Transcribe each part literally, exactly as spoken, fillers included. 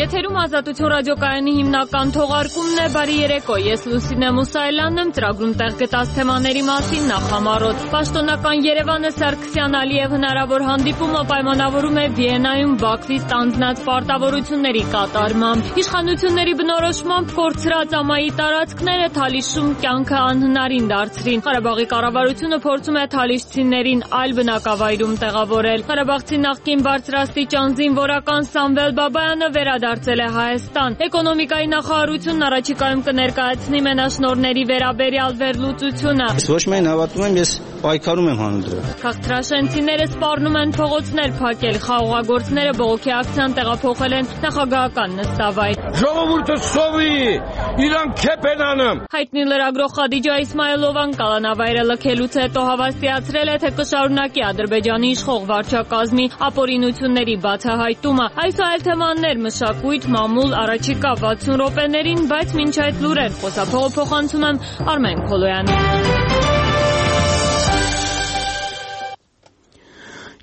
Եթերում Ազատություն ռադիոկայանի հիմնական թողարկումն է, բարի երեկո, ես Լուսինե Մուսայելյանն եմ, ծրագրում տեղ գտած թեմաների մասին նախ համառոտ։ Պաշտոնական Երևանը Սարգսյան-Ալիև հնարավոր հանդիպումը պայմանավորում է Վիեննայում Բաքվի ստանձնած պարտավորությունների կատարմամբ։ Իշխանությունների բնորոշմամբ կորցրած ամայի տարածքները Թալիշում կյանքը անհնարին դարձրին։ Ղարաբաղի կառավարությունը փորձում է թալիշցիներին այլ բնակավայրում տեղավորել։ Ղարաբաղցի նախկին բարձրաստիճան զինվորական Սամվել Բաբայանը վերադարձել է Հայաստան։ Էկոնոմիկայի նախարարությունն առաջիկայում կներկայացնի մենաշնորհների վերաբերյալ վերլուծությունը։ Ոչ միայն հավատում եմ, ես պայքարում եմ հանուն դրա։ Քաղաքացիները սպառնում են փողոցներ փակել, խաղողագործները բողոքի ակցիան տեղափոխել են նախագահական նստավայր։ Ժողովուրդը սովի, իրան քեփ են անում։ Հայտնի լրագրող Խադիջա Իսմայելովան կալանավայրը լքելուց հետո հավաստիացրել է, թե կշարունակի Ադրբեջանի իշխող վարչակազմի ապօրինությունների բացահայտումը։ Այս այլ թեմաներ մշակույթ, մամուլ, առաջիկա վաթսուն րոպեներին, բայց մինչ այդ լուրեր խոսափողը փոխանցում եմ Արմեն Քոլոյանին։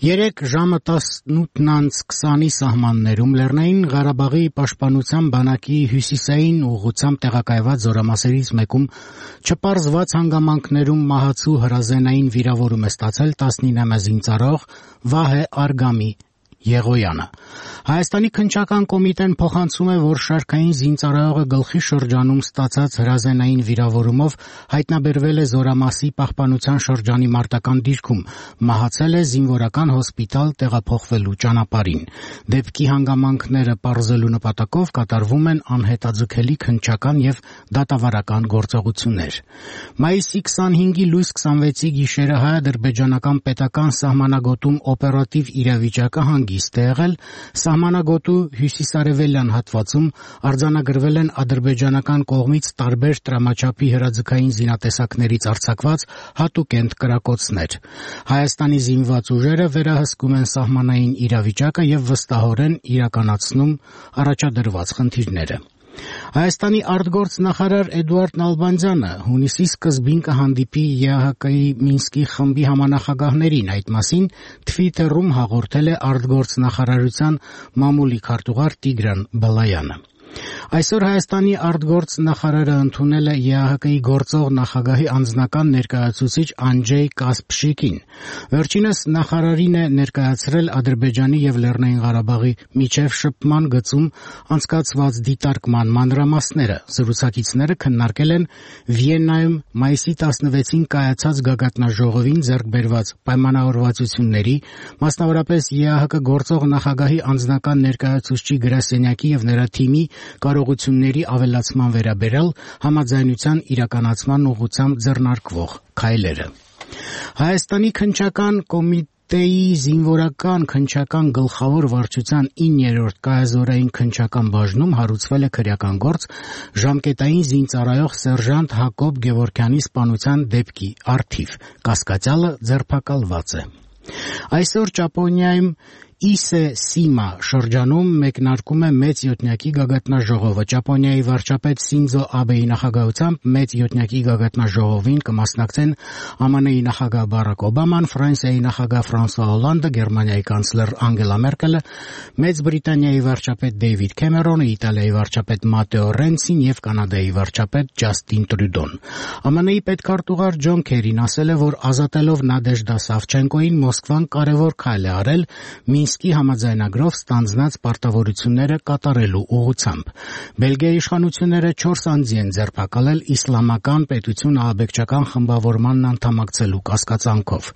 Երեկ ժամը տասնութն անց քսանի սահմաններում Լեռնային Ղարաբաղի պաշտպանության բանակի հյուսիսային ուղղությամբ տեղակայված զորամասերից մեկում չպարզված հանգամանքներում մահացու հրազենային վիրավորում է ստացել տասնինամյա զինծառայող Վահե Արգամի Եղոյանը։ Հայաստանի քննչական կոմիտեն փոխանցում է, որ շարքային զինծառայողը գլխի շրջանում ստացած հրազենային վիրավորումով հայտնաբերվել է Զորամասի պահպանության շրջանի մարտական դիրքում, մահացել է զինվորական հոսպիտալ տեղափոխվելու ճանապարհին։ Դեպքի հանգամանքները պարզելու նպատակով կատարվում են անհետաձգելի քննչական եւ դատավարական գործողություններ։ Մայիսի քսանհինգի լույս քսանվեցի գիշերը հայ-ադրբեջանական պետական սահմանագոտում օպերատիվ իրավիճակը հանգիստ է եղել, սահմանագոտու հյուսիսարևելյան հատվածում արձանագրվել են ադրբեջանական կողմից տարբեր տրամաչափի հրաձգային զինատեսակներից արձակված հատուկենտ կրակոցներ։ Հայաստանի զինված ուժերը վերահսկում են սահմանային իրավիճակը եւ վստահորեն իրականացնում առաջադրված խնդիրները։ Հայաստանի արտգործնախարար Էդուարդ Նալբանդյանը հունիսի սկզբին կհանդիպի ԵԱՀԿ-ի Մինսկի խմբի համանախագահներին, այդ մասին Թվիտերում հաղորդել է արտգործնախարարության մամուլի քարտուղար Տիգրան Բալայանը։ Այսօր Հայաստանի արտգործնախարարը ընդունել է ԵԱՀԿ-ի գործող նախագահի անձնական ներկայացուցիչ Անջեյ Կասպշիկին։ Վերջինս նախարարին է ներկայացրել Ադրբեջանի եւ Լեռնային Ղարաբաղի միջև շփման գծում անցկացված դիտարկման մանրամասները։ Զրուցակիցները քննարկել են Վիեննայում մայիսի տասնվեցին կայացած գագաթնաժողովին ձեռք բերված պայմանավորվածությունների, մասնավորապես ԵԱՀԿ գործող նախագահի անձնական ներկայացուցչի գրասենյակի եւ նրա թիմի կարողությունների ավելացման վերաբերյալ համաձայնության իրականացման ուղղությամբ ձեռնարկվող քայլերը։ Հայաստանի քննչական կոմիտեի զինվորական քննչական գլխավոր վարչության իններորդ կայազորային քննչական բաժնում հարուցվել է քրեական գործ ժամկետային զինծառայող սերժանտ Հակոբ Գևորգյանի սպանության դեպքի առթիվ։ Կասկածյալը ձերբակալված է։ Այսօր Ճապոնիայում Իսե Սիմա շրջանում մեկնարկում է մեծ յոթնյակի գագաթնաժողովը։ Ճապոնիայի վարչապետ Սինձո Աբեի նախագահությամբ մեծ յոթնյակի գագաթնաժողովին կմասնակցեն ԱՄՆ-ի նախագահ Բարակ Օբաման, Ֆրանսիայի նախագահ Ֆրանսուଆ Հոլանդը, Գերմանիայի կանցլեր Անգելա Մերկելը, Մեծ Բրիտանիայի վարչապետ Դեյվիդ Քեմերոնը, Իտալիայի վարչապետ Մատեո Ռենցին եւ Կանադայի վարչապետ Ջաստին Տրյուդոն։ ԱՄՆ-ի պետքարտուղար Ջոն Քերին ասել է, որ ազատելով Նադեժդա Սավչենկոին Մոսկվան կարևոր քայլ է արել Մինսկի համաձայնագրով ստանձնած պարտավորությունները կատարելու ուղղությամբ։ Բելգիայի իշխանությունները չորս անձի են ձերբակալել իսլամական պետություն ահաբեկչական խմբավորմանն անդամակցելու կասկածանքով։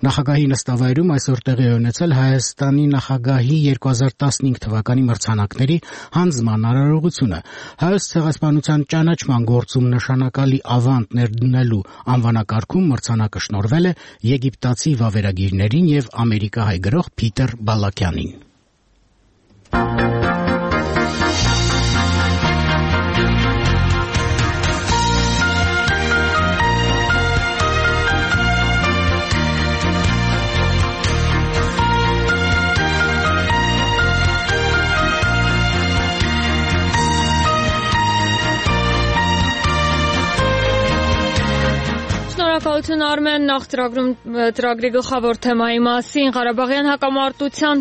Նախագահի նստավայրում այսօր տեղի է ունեցել Հայաստանի նախագահի երկու հազար տասնհինգ թվականի մրցանակների հանձնման արարողությունը։ Հայոց ցեղասպանության ճանաչման գործում նշանակալի ավանդ ներդնելու անվանակարգում մրցանակը շնորհվել է եգիպտացի վավերագիրներին եւ ամերիկահայ գրող Փիտեր Բալակյանին։ Շնորհակալություն Արմեն, նախ ծրագրում ծրագրի գլխավոր թեմայի մասին Ղարաբաղյան հակամարտության